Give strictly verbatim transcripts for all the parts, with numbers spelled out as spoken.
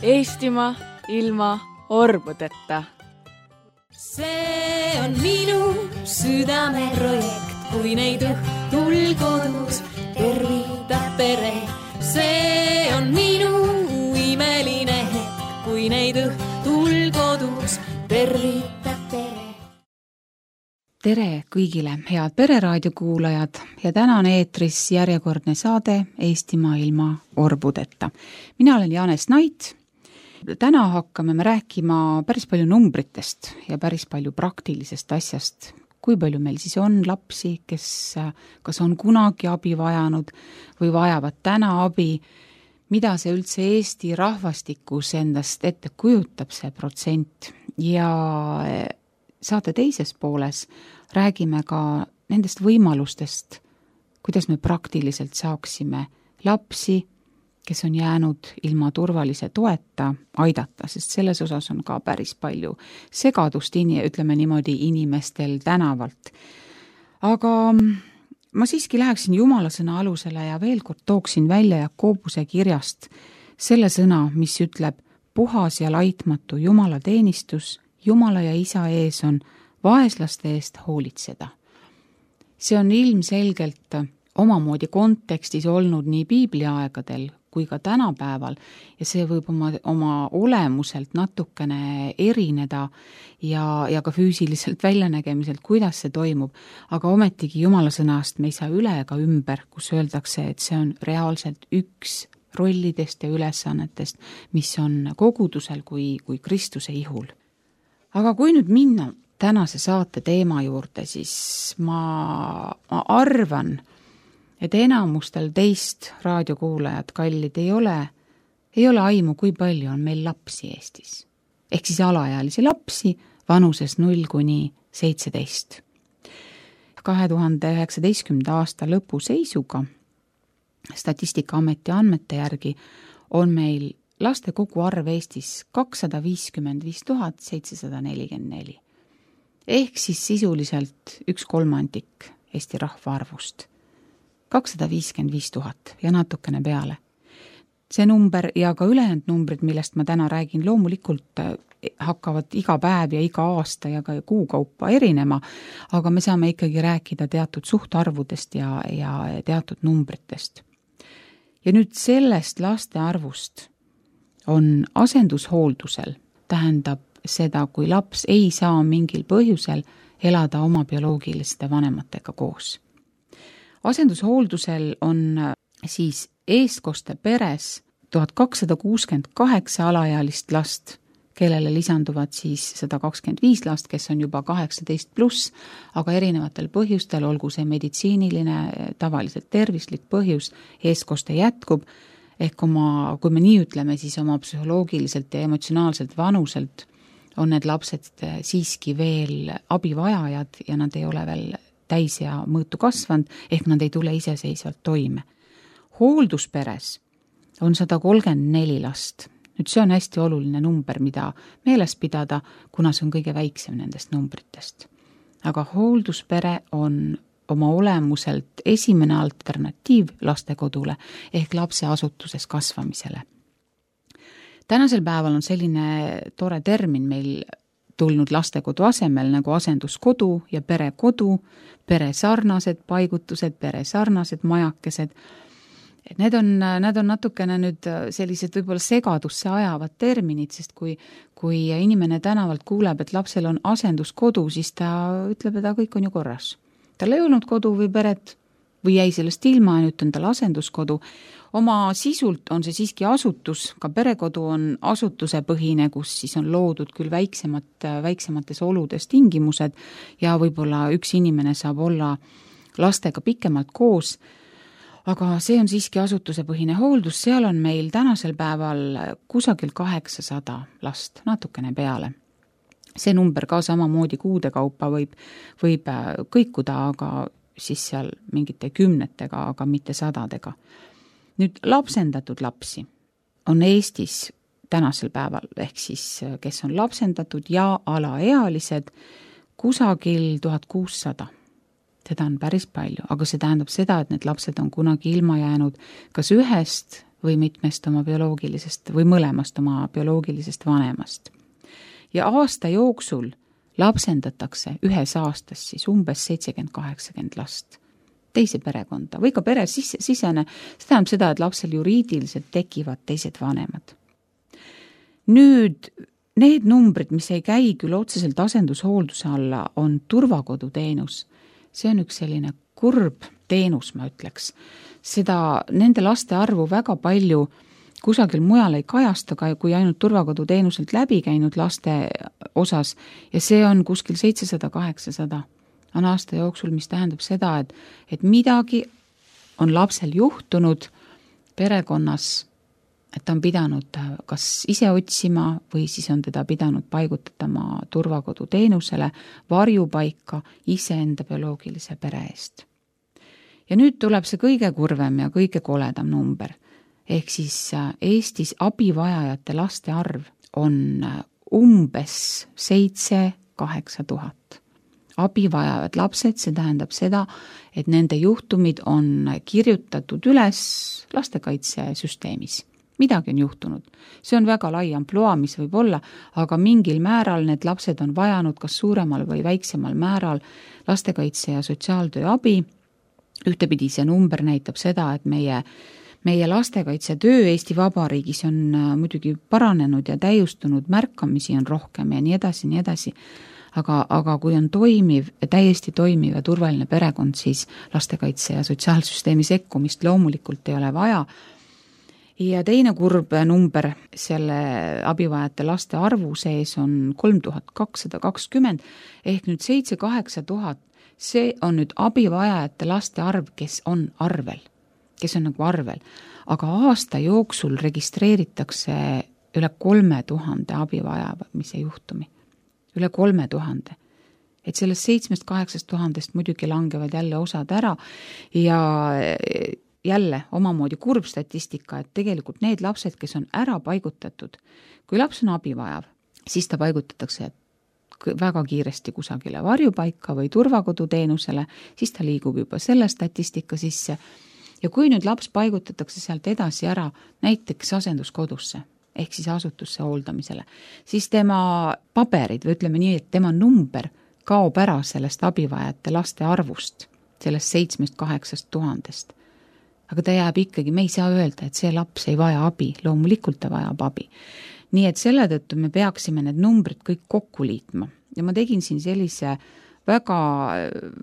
Eestimaa ilma orbudeta. See on minu südame projekt, kui neid õhtul kodus tervitab pere. See on minu imeline hetk, kui neid õhtul kodus tervitab pere. Tere kõigile, head Pereraadio kuulajad ja täna on eetris järjekordne saade Eestimaa ilma orbudeta. Mina olen Jaanes Nait. Täna hakkame me rääkima päris palju numbritest ja päris palju praktilisest asjast. Kui palju meil siis on lapsi, kes kas on kunagi abi vajanud või vajavad täna abi, mida see üldse Eesti rahvastikus endast ette kujutab see protsent. Ja saate teises pooles räägime ka nendest võimalustest, kuidas me praktiliselt saaksime lapsi, kes on jäänud ilma turvalise toeta, aidata, sest selles osas on ka päris palju segadust, ütleme niimoodi, inimestel tänavalt. Aga ma siiski läheksin Jumala sõna alusele ja veel kord tooksin välja Jakobuse kirjast selle sõna, mis ütleb, puhas ja laitmatu Jumala teenistus, Jumala ja Isa ees on vaeslaste eest hoolitseda. See on ilmselgelt omamoodi kontekstis olnud nii piibliaegadel kui ka tänapäeval ja see võib oma, oma olemuselt natukene erineda ja, ja ka füüsiliselt väljanägemiselt, kuidas see toimub, aga ometigi Jumala sõnast me ei saa üle ega ümber, kus öeldakse, et see on reaalselt üks rollidest ja ülesannetest, mis on kogudusel kui, kui Kristuse ihul. Aga kui nüüd minna tänase saate teema juurde, siis ma, ma arvan, et enamustel teist raadiokuulajad kallid ei ole, ei ole aimu, kui palju on meil lapsi Eestis. Ehk siis alaealisi lapsi vanuses null kuni seitseteist. kahe tuhande üheksateistkümnenda aasta lõpu seisuga Statistikaameti andmete järgi on meil laste koguarv Eestis kakssada viiskümmend viis tuhat seitsesada nelikümmend neli. Ehk siis sisuliselt üks kolmandik Eesti rahvaarvust. kakssada viiskümmend viis tuhat ja natukene peale. See number ja ka ülejäänud numbrid, millest ma täna räägin, loomulikult hakkavad iga päev ja iga aasta ja ka kuukaupa erinema, aga me saame ikkagi rääkida teatud suhtarvudest ja, ja teatud numbritest. Ja nüüd sellest laste arvust on asendushooldusel, tähendab seda, kui laps ei saa mingil põhjusel elada oma bioloogiliste vanematega koos. Asendushooldusel on siis eestkoste peres tuhat kakssada kuuskümmend kaheksa alaealist last, kellele lisanduvad siis sada kakskümmend viis last, kes on juba kaheksateist pluss, aga erinevatel põhjustel, olgu see meditsiiniline, tavaliselt tervislik põhjus, eestkoste jätkub, ehk oma, kui me nii ütleme, siis oma psühholoogiliselt ja emotsionaalselt vanuselt on need lapsed siiski veel abivajajad ja nad ei ole veel täis ja mõõtu kasvanud, ehk nad ei tule iseseisvalt toime. Hooldusperes on sada kolmkümmend neli last. Nüüd see on hästi oluline number, mida meeles pidada, kuna see on kõige väiksem nendest numbritest. Aga hoolduspere on oma olemuselt esimene alternatiiv lastekodule ehk lapse asutuses kasvamisele. Tänasel päeval on selline tore termin meil tulnud lastekodu asemel nagu asenduskodu ja perekodu, peresarnased paigutused, peresarnased majakesed. Need on, need on natukene nüüd sellised võib-olla segadusse ajavad terminid, sest kui, kui inimene tänavalt kuuleb, et lapsel on asenduskodu, siis ta ütleb, et ta kõik on ju korras. Tal ei olnud kodu või peret või jäi sellest ilma ja nüüd on tal asenduskodu. Oma sisult on see siiski asutus, ka perekodu on asutuse põhine, kus siis on loodud küll väiksemat, väiksemates oludes tingimused ja võib-olla üks inimene saab olla lastega pikemalt koos, aga see on siiski asutuse põhine hooldus, seal on meil tänasel päeval kusagil kaheksasada last, natukene peale. See number ka samamoodi kuude kaupa võib, võib kõikuda, aga siis seal mingite kümnetega, aga mitte sadadega. Nüüd lapsendatud lapsi on Eestis tänasel päeval, ehk siis kes on lapsendatud ja alaealised, kusagil tuhat kuussada. Seda on päris palju, aga see tähendab seda, et need lapsed on kunagi ilma jäänud kas ühest või mitmest oma bioloogilisest või mõlemast oma bioloogilisest vanemast. Ja aasta jooksul lapsendatakse ühes aastas siis umbes seitsekümmend kaheksakümmend last teise perekonda või ka pere sisse, sisene, see tähendab seda, et lapsel juriidiliselt tekivad teised vanemad. Nüüd need numbrid, mis ei käi küll otseselt asendushoolduse alla, on turvakoduteenus. See on üks selline kurb teenus, ma ütleks. Seda, nende laste arvu väga palju kusagil mujal ei kajasta, kui ainult turvakoduteenuselt läbi käinud laste osas ja see on kuskil seitsesada kaheksasada on aasta jooksul, mis tähendab seda, et, et midagi on lapsel juhtunud perekonnas, et ta on pidanud kas ise otsima või siis on teda pidanud paigutatama turvakoduteenusele, varjupaika iseenda bioloogilise pere eest. Ja nüüd tuleb see kõige kurvem ja kõige koledam number. Ehk siis Eestis abivajajate laste arv on umbes seitse kaheksa tuhat. Abivajavad lapsed, see tähendab seda, et nende juhtumid on kirjutatud üles lastekaitsesüsteemis. Midagi on juhtunud. See on väga lai amploa, mis võib olla, aga mingil määral need lapsed on vajanud kas suuremal või väiksemal määral lastekaitse ja sotsiaaltöö abi. Ühtepidi see number näitab seda, et meie Meie lastekaitsetöö Eesti Vabariigis on muidugi paranenud ja täiustunud, märkamisi on rohkem ja nii edasi, nii edasi. Aga, aga kui on toimiv, täiesti toimiv ja turvaline perekond, siis lastekaitse ja sotsiaalsüsteemi sekkumist loomulikult ei ole vaja. Ja teine kurb number selle abivajate laste arvu sees on kolm tuhat kakssada kakskümmend ehk nüüd seitse kaheksa tuhat. See on nüüd abivajajate laste arv, kes on arvel. kes on nagu arvel, aga aasta jooksul registreeritakse üle kolme tuhande abivajamise juhtumi. Üle kolme tuhande. Et sellest seitsmest kaheksast tuhandest muidugi langevad jälle osad ära ja jälle omamoodi kurb statistika, et tegelikult need lapsed, kes on ära paigutatud, kui laps on abivajav, siis ta paigutatakse väga kiiresti kusagile varjupaika või turvakoduteenusele, siis ta liigub juba selle statistika sisse. Ja kui nüüd laps paigutatakse sealt edasi ära näiteks asenduskodusse, ehk siis asutusse hooldamisele, siis tema paberid, või ütleme nii, et tema number kaob ära sellest abivajate laste arvust, sellest seitsmest kaheksast tuhandest. Aga ta jääb ikkagi, me ei saa öelda, et see laps ei vaja abi, loomulikult ta vajab abi. Nii et selle tõttu me peaksime need numbrid kõik kokku liitma. Ja ma tegin siin sellise väga,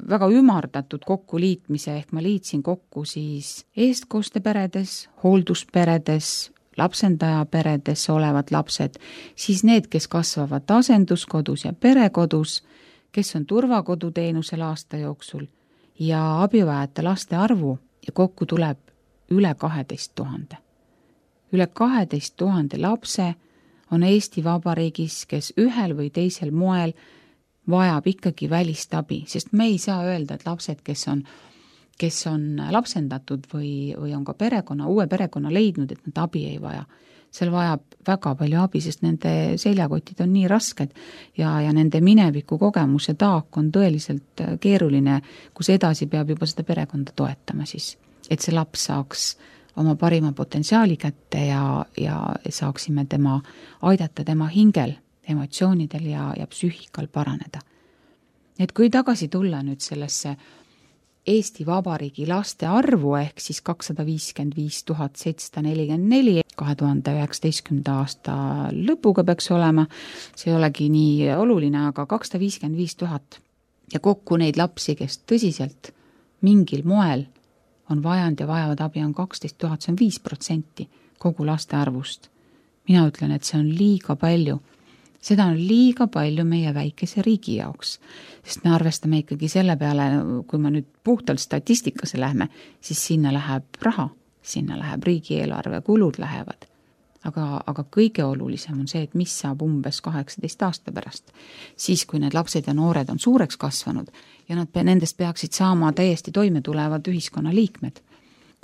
väga ümardatud kokkuliitmise, ehk ma liitsin kokku siis eestkoosteperedes, hooldusperedes, lapsendajaperedes olevad lapsed, siis need, kes kasvavad asenduskodus ja perekodus, kes on turvakoduteenusel aasta jooksul ja abivajate laste arvu ja kokku tuleb üle kaheteist tuhande. Üle kaheteist tuhande lapse on Eesti Vabariigis, kes ühel või teisel moel vajab ikkagi välist abi, sest me ei saa öelda, et lapsed, kes on, kes on lapsendatud või, või on ka perekonna, uue perekonna leidnud, et nad abi ei vaja. Seal vajab väga palju abi, sest nende seljakotid on nii rasked ja, ja nende mineviku kogemuse taak on tõeliselt keeruline, kus edasi peab juba seda perekonda toetama siis, et see laps saaks oma parima potentsiaali kätte ja, ja saaksime tema aidata tema hingel, emotsioonidel ja, ja psüühikal paraneda. Et kui tagasi tulla nüüd sellesse Eesti Vabariigi laste arvu ehk siis kakssada viiskümmend viis tuhat seitsesada nelikümmend neli kahe tuhande üheksateistkümnenda aasta lõpuga peaks olema, see ei olegi nii oluline, aga kakssada viiskümmend viis tuhat ja kokku neid lapsi, kes tõsiselt mingil moel on vajanud ja vajavad abi, on kaksteist tuhat, see on viis protsenti kogu laste arvust. Mina ütlen, et see on liiga palju. Seda on liiga palju meie väikese riigi jaoks, sest me arvestame ikkagi selle peale, kui me nüüd puhtalt statistikasse lähme, siis sinna läheb raha, sinna läheb riigieelarve, kulud lähevad. Aga, aga kõige olulisem on see, et mis saab umbes kaheksateist aasta pärast, siis kui need lapsed ja noored on suureks kasvanud ja nad nendest peaksid saama täiesti toime tulevad ühiskonna liikmed.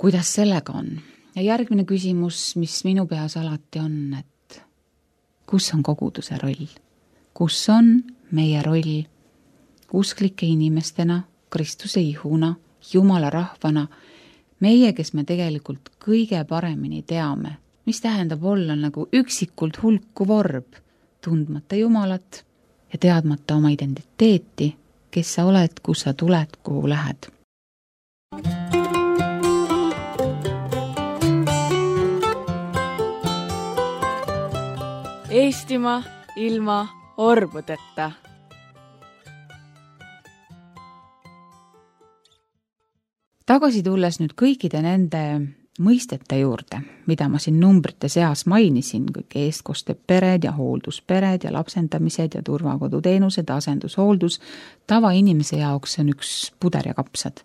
Kuidas sellega on? Ja järgmine küsimus, mis minu peas alati on, et kus on koguduse roll? Kus on meie roll usklike inimestena, Kristuse ihuna, Jumala rahvana meie, kes me tegelikult kõige paremini teame, mis tähendab olla nagu üksikult hulku vorb, tundmata Jumalat ja teadmata oma identiteeti, kes sa oled, kus sa tuled, kuhu lähed. Eestimaa ilma orbudeta. Tagasi tulles nüüd kõikide nende mõistete juurde, mida ma siin numbrite seas mainisin, kõik eestkosted pered ja hoolduspered ja lapsendamised ja turvakoduteenused, asendushooldus, tavainimese jaoks on üks puder ja kapsad.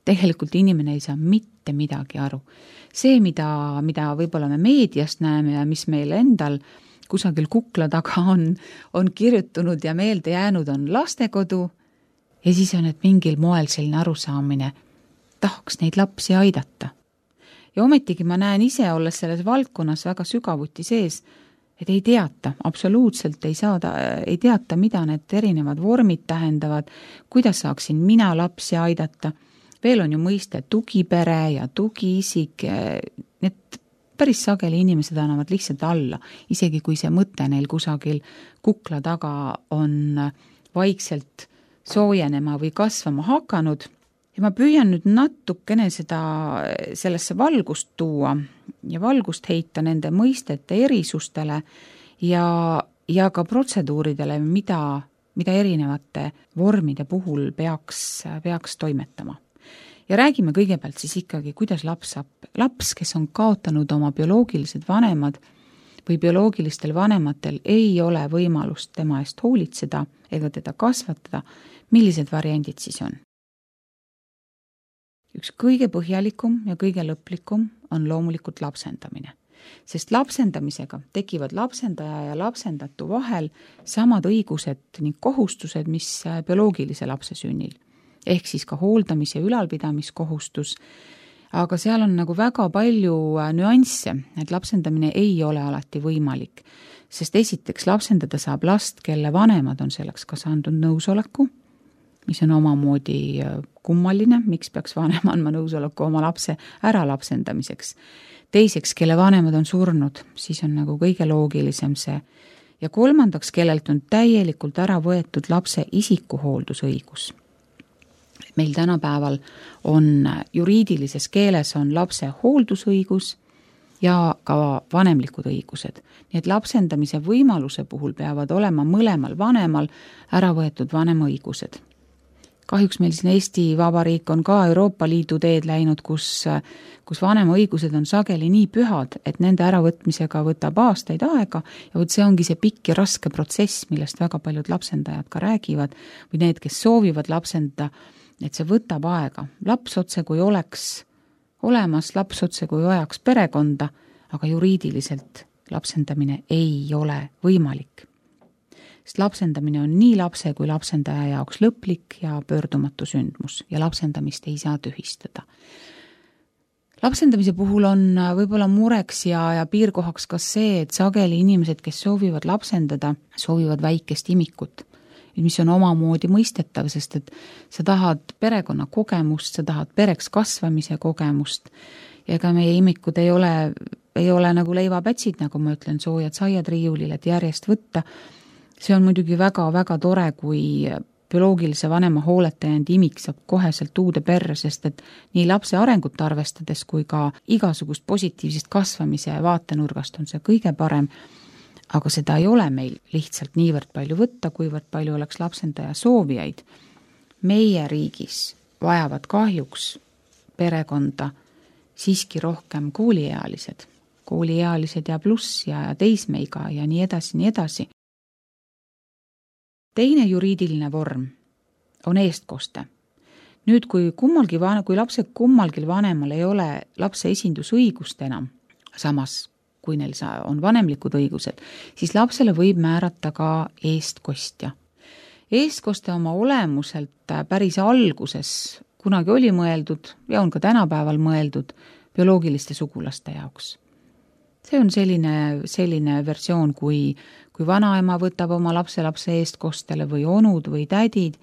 Tegelikult inimene ei saa mitte midagi aru. See, mida, mida võib-olla me meediast näeme ja mis meil endal kusagil kukla taga on, on kirjutunud ja meelde jäänud, on lastekodu ja siis on, et mingil moel selline arusaamine, tahaks neid lapsi aidata. Ja ometigi ma näen ise, olles selles valdkonnas väga sügavuti sees, et ei teata, absoluutselt ei saada, ei teata, mida need erinevad vormid tähendavad, kuidas saaksin mina lapsi aidata. Veel on ju mõiste tugipere ja tugiisik, need päris sageli inimesed annavad lihtsalt alla, isegi kui see mõte neil kusagil kukla taga on vaikselt soojenema või kasvama hakanud. Ja ma püüan nüüd natukene seda, sellesse valgust tuua ja valgust heita nende mõistete erisustele ja, ja ka protseduuridele, mida, mida erinevate vormide puhul peaks, peaks toimetama. Ja räägime kõigepealt siis ikkagi, kuidas laps saab. Laps, kes on kaotanud oma bioloogilised vanemad või bioloogilistel vanematel ei ole võimalust tema eest hoolitseda ega teda kasvatada, millised variandid siis on? Üks kõige põhjalikum ja kõige lõplikum on loomulikult lapsendamine, sest lapsendamisega tekivad lapsendaja ja lapsendatu vahel samad õigused ning kohustused, mis bioloogilise lapse sünnil, ehk siis ka hooldamis- ja ülalpidamiskohustus, aga seal on nagu väga palju nüansse, et lapsendamine ei ole alati võimalik, sest esiteks lapsendada saab last, kelle vanemad on selleks kas andnud nõusoleku, mis on omamoodi kummaline, miks peaks vanem andma nõusoleku oma lapse ära lapsendamiseks. Teiseks, kelle vanemad on surnud, siis on nagu kõige loogilisem see. Ja kolmandaks, kellelt on täielikult ära võetud lapse isikuhooldusõigus. Meil tänapäeval on juriidilises keeles on lapse hooldusõigus ja ka vanemlikud õigused. Nii et lapsendamise võimaluse puhul peavad olema mõlemal vanemal ära võetud vanema õigused. Kahjuks meil siin Eesti Vabariik on ka Euroopa Liidu teed läinud, kus, kus vanema õigused on sageli nii pühad, et nende äravõtmisega võtab aastaid aega ja võt see ongi see pikk ja raske protsess, millest väga paljud lapsendajad ka räägivad või need, kes soovivad lapsendada, et see võtab aega. Laps otse kui oleks olemas, laps otse kui ajaks perekonda, aga juriidiliselt lapsendamine ei ole võimalik. Sest lapsendamine on nii lapse kui lapsendaja jaoks lõplik ja pöördumatu sündmus ja lapsendamist ei saa tühistada. Lapsendamise puhul on võib-olla mureks ja, ja piirkohaks ka see, et sageli inimesed, kes soovivad lapsendada, soovivad väikest imikut, mis on omamoodi mõistetav, sest et sa tahad perekonna kogemust, sa tahad pereks kasvamise kogemust ja ega meie imikud ei ole, ei ole nagu leivapätsid, nagu ma ütlen, soojad saiad riiulil, et järjest võtta. See on muidugi väga-väga tore, kui bioloogilise vanema hooleta jäänud imik saab koheselt uude perre, sest et nii lapse arengut arvestades kui ka igasugust positiivsest kasvamise vaatenurgast on see kõige parem, aga seda ei ole meil lihtsalt niivõrd palju võtta, kuivõrd palju oleks lapsendaja soovijaid. Meie riigis vajavad kahjuks perekonda siiski rohkem kooliealised, kooliealised ja pluss ja teismeiga ja nii edasi, nii edasi. Teine juriidiline vorm on eestkoste. Nüüd, kui, kummalgi, kui lapse kummalgi vanemal ei ole lapse esindusõigust enam, samas kui neil on vanemlikud õigused, siis lapsele võib määrata ka eestkostja. Eestkoste oma olemuselt päris alguses kunagi oli mõeldud ja on ka tänapäeval mõeldud bioloogiliste sugulaste jaoks. See on selline, selline versioon, kui, kui vanaema võtab oma lapse lapse eestkostele või onud või tädid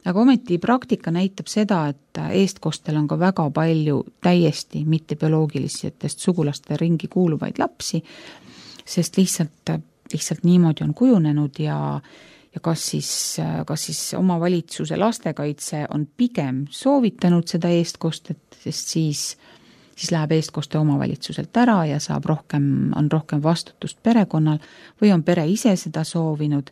aga ometi praktika näitab seda, et eestkostel on ka väga palju täiesti mittebioloogilistest sugulaste ringi kuuluvaid lapsi, sest lihtsalt, lihtsalt niimoodi on kujunenud ja ja kas siis, kas siis omavalitsuse lastekaitse on pigem soovitanud seda eestkostet, sest siis, siis läheb eestkoste omavalitsuselt ära ja saab rohkem, on rohkem vastutust perekonnal või on pere ise seda soovinud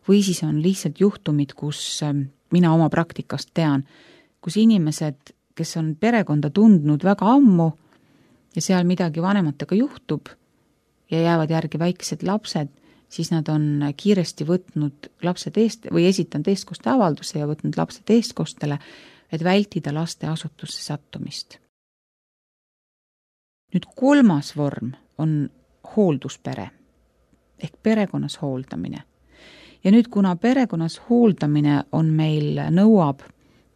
või siis on lihtsalt juhtumid, kus mina oma praktikast tean, kus inimesed, kes on perekonda tundnud väga ammu ja seal midagi vanematega juhtub ja jäävad järgi väiksed lapsed, siis nad on kiiresti võtnud lapsed eest või esitanud eestkoste avalduse ja võtnud lapsed eestkostele, et vältida laste asutusse sattumist. Nüüd kolmas vorm on hoolduspere ehk perekonnas hooldamine. Ja nüüd, kuna perekonnas hooldamine on meil nõuab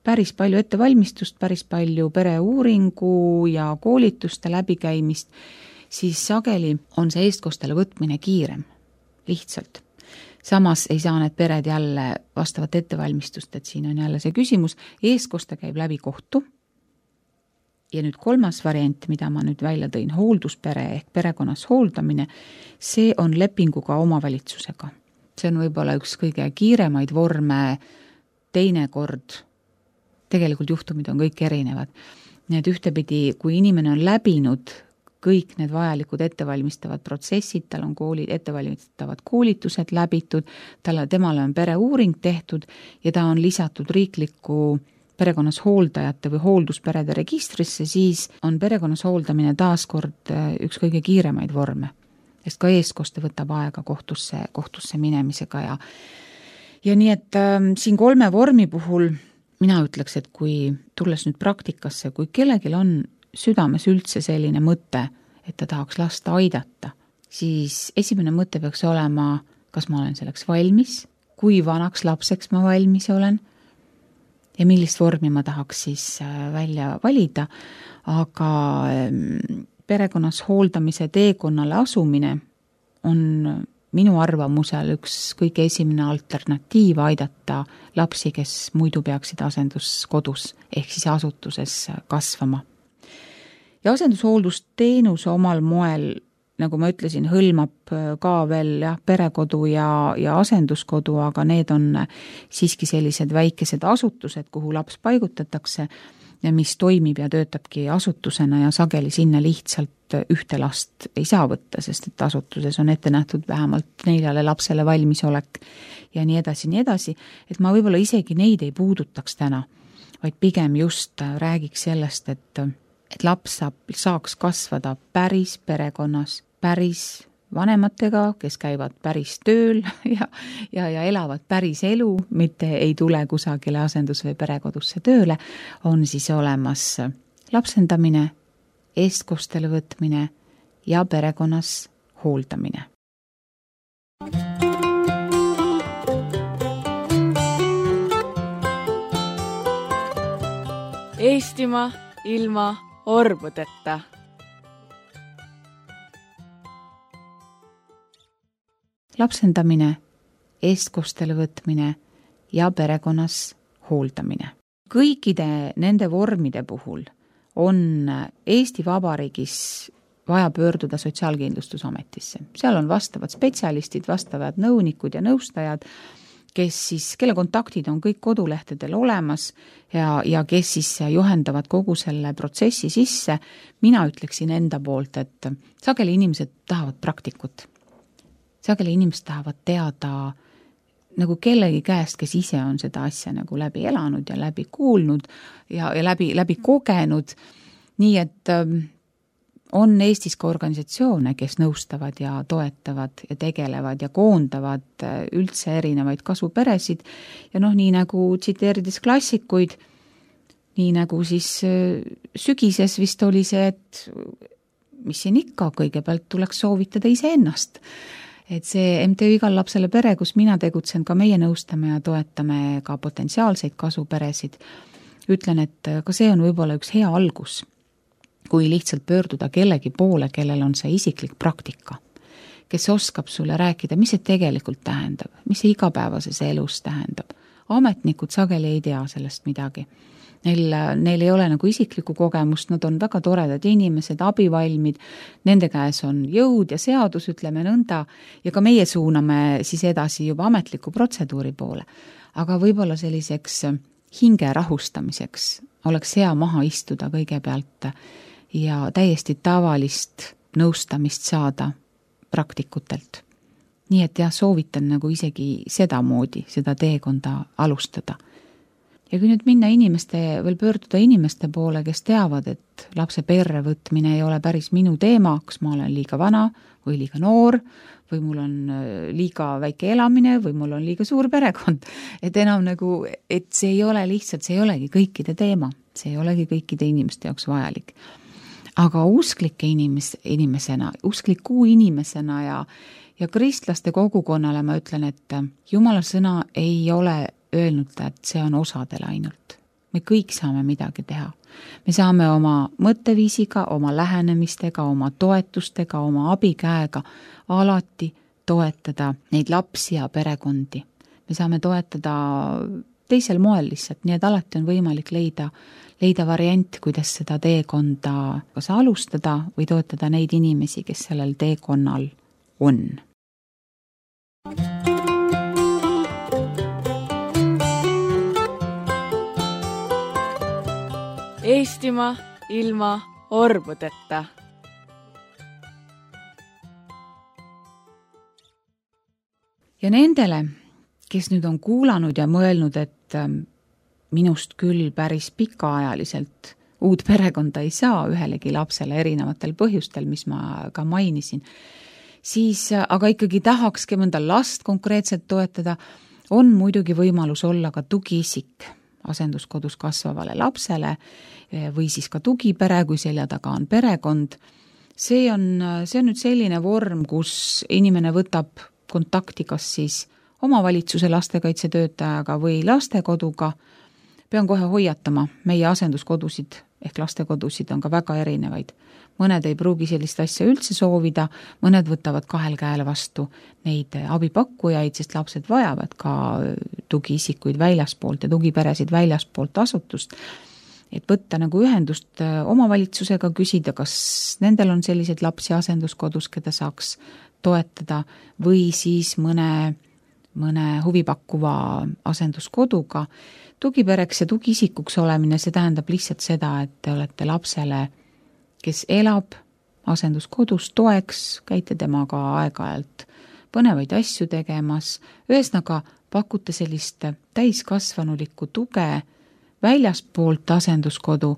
päris palju ettevalmistust, päris palju pereuuringu ja koolituste läbikäimist, siis sageli on see eestkostele võtmine kiirem. Lihtsalt. Samas ei saa need pered jälle vastavat ettevalmistust, et siin on jälle see küsimus, eestkoste käib läbi kohtu ja nüüd kolmas variant, mida ma nüüd välja tõin, hoolduspere ehk perekonnas hooldamine, see on lepinguga omavalitsusega. See on võib-olla üks kõige kiiremaid vorme, teinekord, tegelikult juhtumid on kõik erinevad. Need ühtepidi, kui inimene on läbinud kõik need vajalikud ettevalmistavad protsessid, tal on kooli, ettevalmistavad koolitused läbitud, talle, temale on pereuuring tehtud ja ta on lisatud riikliku perekonnas hooldajate või hooldusperede registrisse, siis on perekonnas hooldamine taaskord üks kõige kiiremaid vorme. Sest ka eestkoste võtab aega kohtusse, kohtusse minemisega ja, ja nii, et äh, siin kolme vormi puhul mina ütleks, et kui tulles nüüd praktikasse, kui kellelgi on südames üldse selline mõte, et ta tahaks lasta aidata, siis esimene mõte peaks olema, kas ma olen selleks valmis, kui vanaks lapseks ma valmis olen ja millist vormi ma tahaks siis välja valida, aga perekonnas hooldamise teekonnale asumine on minu arvamusel üks kõige esimene alternatiiv aidata lapsi, kes muidu peaksid asenduskodus ehk siis asutuses kasvama. Ja asendushooldusteenus omal moel, nagu ma ütlesin, hõlmab ka veel jah, perekodu ja, ja asenduskodu, aga need on siiski sellised väikesed asutused, kuhu laps paigutatakse ja mis toimib ja töötabki asutusena ja sageli sinna lihtsalt ühte last ei saa võtta, sest et asutuses on ette nähtud vähemalt neljale lapsele valmisolek ja nii edasi, nii edasi, et ma võib-olla isegi neid ei puudutaks täna, vaid pigem just räägiks sellest, et et laps saab, saaks kasvada päris perekonnas, päris vanematega, kes käivad päris tööl ja, ja, ja elavad päris elu, mitte ei tule kusagile asendus- või perekodusse tööle, on siis olemas lapsendamine, eestkostele võtmine ja perekonnas hooldamine. Eestimaa ilma orbudeta. Lapsendamine, eestkostele võtmine ja perekonnas hooldamine. Kõikide nende vormide puhul on Eesti Vabariigis vaja pöörduda Sotsiaalkindlustusametisse. Seal on vastavad spetsialistid, vastavad nõunikud ja nõustajad, kes siis, kelle kontaktid on kõik kodulehtedel olemas ja, ja kes siis juhendavad kogu selle protsessi sisse. Mina ütleksin enda poolt, et sageli inimesed tahavad praktikut. Sageli inimesed tahavad teada nagu kellegi käest, kes ise on seda asja nagu läbi elanud ja läbi kuulnud ja, ja läbi, läbi kogenud. Nii et on Eestis ka organisatsioone, kes nõustavad ja toetavad ja tegelevad ja koondavad üldse erinevaid kasuperesid. Ja noh, nii nagu tsiteerides klassikuid, nii nagu siis sügises vist oli see, et mis siin ikka, kõigepealt tuleks soovitada ise ennast. Et see M T Ü Igal lapsele pere, kus mina tegutsen, ka meie nõustame ja toetame ka potentsiaalseid kasuperesid. Ütlen, et ka see on võib-olla üks hea algus, kui lihtsalt pöörduda kellegi poole, kellel on see isiklik praktika, kes oskab sulle rääkida, mis see tegelikult tähendab, mis see igapäevases elus tähendab. ametnikud sageli ei tea sellest midagi. Neil, neil ei ole nagu isiklikku kogemust, nad on väga toredad inimesed, abivalmid, nende käes on jõud ja seadus, ütleme nõnda, ja ka meie suuname siis edasi juba ametliku protseduuri poole. Aga võib-olla selliseks hinge rahustamiseks oleks hea maha istuda kõigepealt ja täiesti tavalist nõustamist saada praktikutelt. Nii et jah, soovitan nagu isegi seda moodi, seda teekonda alustada. Ja kui nüüd minna inimeste, veel pöörduda inimeste poole, kes teavad, et lapse perre võtmine ei ole päris minu teema, kas ma olen liiga vana või liiga noor, või mul on liiga väike elamine, või mul on liiga suur perekond. Et enam nagu, et see ei ole lihtsalt, see ei olegi kõikide teema, see ei olegi kõikide inimeste jaoks vajalik. Aga usklike inimes, inimesena, uskliku inimesena ja, ja kristlaste kogukonnale ma ütlen, et Jumala sõna ei ole öelnud, et see on osadel ainult. Me kõik saame midagi teha. Me saame oma mõtteviisiga, oma lähenemistega, oma toetustega, oma abikäega alati toetada neid lapsi ja perekondi. Me saame toetada teisel moel lihtsalt, nii et alati on võimalik leida, leida variant, kuidas seda teekonda kas alustada või toetada neid inimesi, kes sellel teekonnal on. Eestimaa ilma orbudeta. Ja nendele, kes nüüd on kuulanud ja mõelnud, et minust küll päris pikaajaliselt uut perekonda ei saa ühelegi lapsele erinevatel põhjustel, mis ma ka mainisin, siis aga ikkagi tahakski mõnda last konkreetselt toetada, on muidugi võimalus olla ka tugiisik asenduskodus kasvavale lapsele või siis ka tugipere, kui selja taga on perekond. See on, see on nüüd selline vorm, kus inimene võtab kontakti kas siis omavalitsuse lastekaitsetöötajaga või lastekoduga. Pean kohe hoiatama, meie asenduskodusid ehk lastekodusid on ka väga erinevaid. Mõned ei pruugi sellist asja üldse soovida, mõned võtavad kahel käel vastu neid abipakkujaid, sest lapsed vajavad ka tugiisikuid väljaspoolt ja tugiperesid väljaspoolt asutust. Et võtta nagu ühendust omavalitsusega, küsida, kas nendel on sellised lapsi asenduskodus, keda saaks toetada või siis mõne, mõne huvipakkuva asenduskoduga. Tugipereks ja tugiisikuks olemine, see tähendab lihtsalt seda, et te olete lapsele, kes elab asenduskodus toeks, käite temaga aeg-ajalt põnevaid asju tegemas, ühesõnaga pakute sellist täiskasvanulikku tuge väljaspoolt asenduskodu.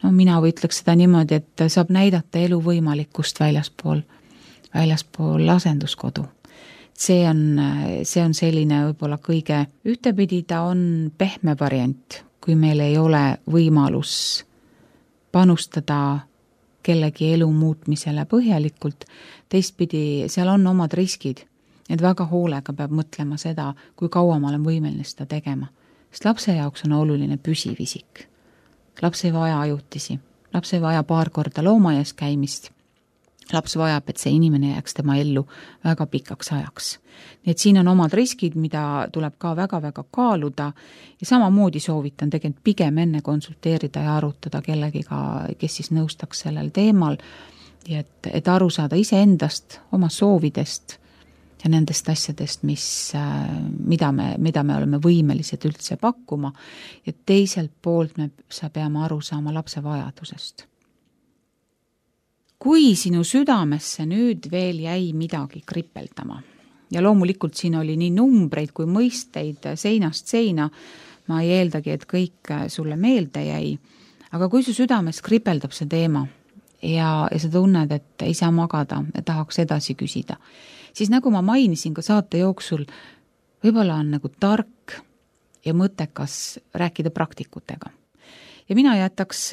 No mina võitleks seda niimoodi, et saab näidata elu võimalikkust väljaspool, väljaspool asenduskodu. See on, see on selline võib-olla kõige ühtepidi, ta on pehme variant, kui meil ei ole võimalus panustada kellegi elu muutmisele põhjalikult. Teistpidi, seal on omad riskid, et väga hoolega peab mõtlema seda, kui kaua ma olen võimeline seda tegema. Sest lapse jaoks on oluline püsivisik. Laps ei vaja ajutisi, laps ei vaja paar korda loomaaias käimist. Laps vajab, et see inimene jääks tema ellu väga pikaks ajaks. Nii et siin on omad riskid, mida tuleb ka väga-väga kaaluda ja samamoodi soovitan tegelikult pigem enne konsulteerida ja arutada kellegiga, kes siis nõustaks sellel teemal, et, et aru saada iseendast, oma soovidest ja nendest asjadest, mis, mida, me, mida me oleme võimelised üldse pakkuma ja teiselt poolt me sa peame aru saama lapse vajadusest. Kui sinu südamesse nüüd veel jäi midagi kripeldama ja loomulikult siin oli nii numbreid kui mõisteid seinast seina, ma ei eeldagi, et kõik sulle meelde jäi, aga kui su südames kripeldab see teema ja, ja sa tunned, et ei saa magada ja tahaks edasi küsida, siis nagu ma mainisin ka saate jooksul, võib-olla on nagu tark ja mõttekas rääkida praktikutega. Ja mina jätaks,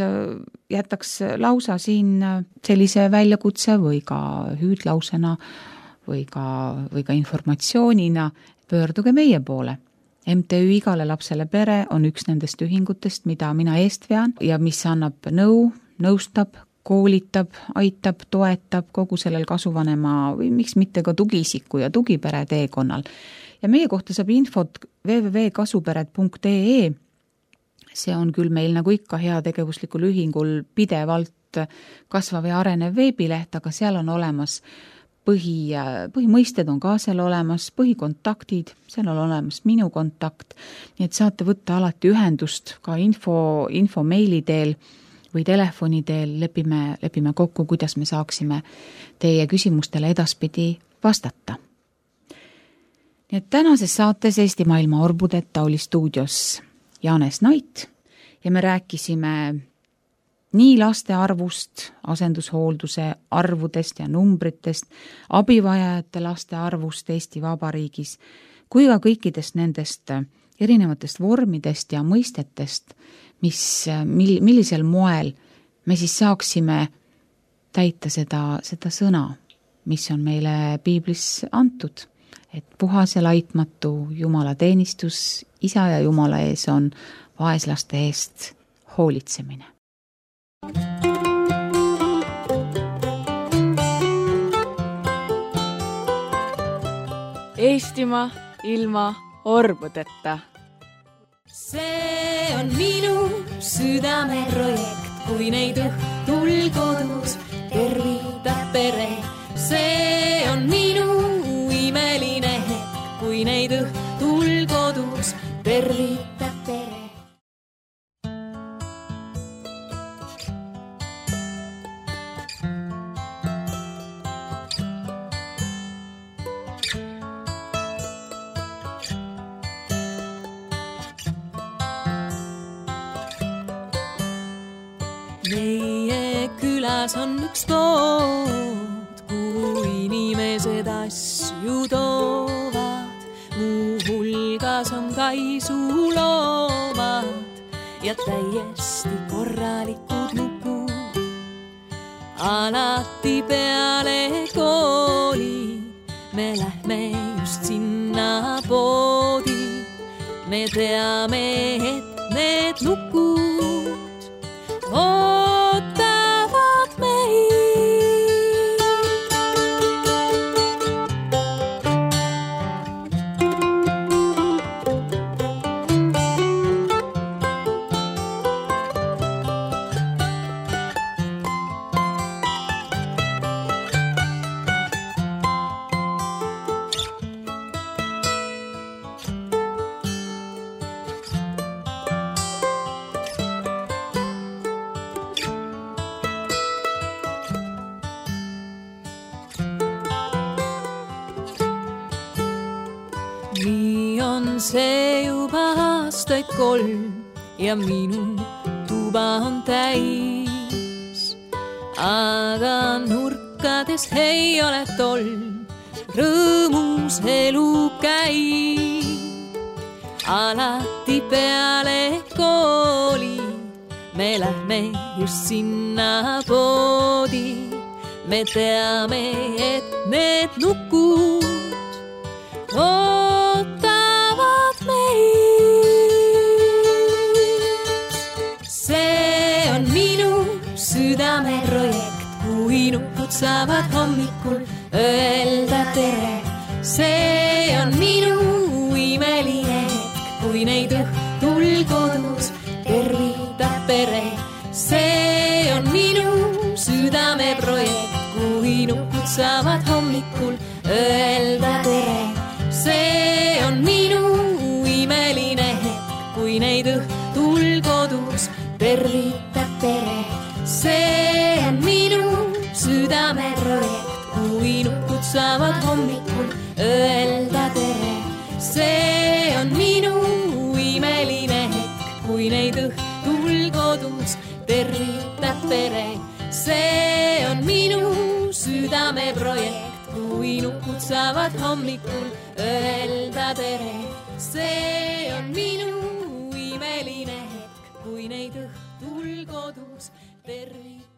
jätaks lausa siin sellise väljakutse või ka hüüdlausena või ka, või ka informatsioonina pöörduge meie poole. M T Ü Igale lapsele pere on üks nendest ühingutest, mida mina eest vean ja mis annab nõu, nõustab, koolitab, aitab, toetab kogu sellel kasuvanema või miks mitte ka tugiisiku ja tugipere teekonnal. ja meie kohta saab infot w w w punkt kasupered punkt e e. See on küll meil nagu ikka heategevuslikul ühingul pidevalt kasvav ja arenev veebileht, aga seal on olemas põhi, põhimõisted on ka seal olemas, põhikontaktid, seal on olemas minu kontakt, nii et saate võtta alati ühendust ka info, info meili teel või telefoni teel, lepime, lepime kokku, kuidas me saaksime teie küsimustele edaspidi vastata. Nii et tänases saates Eesti Maailma Orbudeta oli stuudios Janes Nait ja me rääkisime nii laste arvust, asendushoolduse arvudest ja numbritest, abivajajate laste arvust Eesti Vabariigis, kui ka kõikidest nendest erinevatest vormidest ja mõistetest, mis, mil, millisel moel me siis saaksime täita seda, seda sõna, mis on meile piiblis antud, et puhas ja laitmatu Jumala teenistus Isa ja Jumala ees on vaeslaste eest hoolitsemine. Eestimaa ilma orbudeta. See on minu südame projekt, kui neid õhtul kodus tervitab pere. See on minu imeline hetk, kui neid õhtul kodus tervitab pere. Meie külas on üks pood, kuhu inimesed asju toovad. Muu hulgas on kaisuloomad ja täiesti korralikud nukud. Alati peale kooli me lähme just sinna poodi. Me teame, et need nukud ootavad meid. Nii on see juba aastaid kolm ja minu tuba on täis. Aga nurkades ei ole tolm, rõõmus elu käib. Alati peale kooli me lähme just sinna poodi. Me teame, et need nukud ootavad meid. See on minu südame projekt, kui nukud saavad hommikul öelda tere. See on minu imeline hetk, kui neid õhtul kodus tervitab pere. See on minu südame projekt, kui nukud saavad hommikul öelda tere. See on minu imeline hetk, kui neid õhtul kodus tervitab pere. See on minu südame projekt, kui nukud saavad hommikul öelda tere. See on minu imeline hetk, kui neid õhtul kodus tervitab pere. See on minu südame projekt, kui nukud saavad hommikul öelda tere. See on minu imeline hetk, kui neid õhtul kodus tervitab.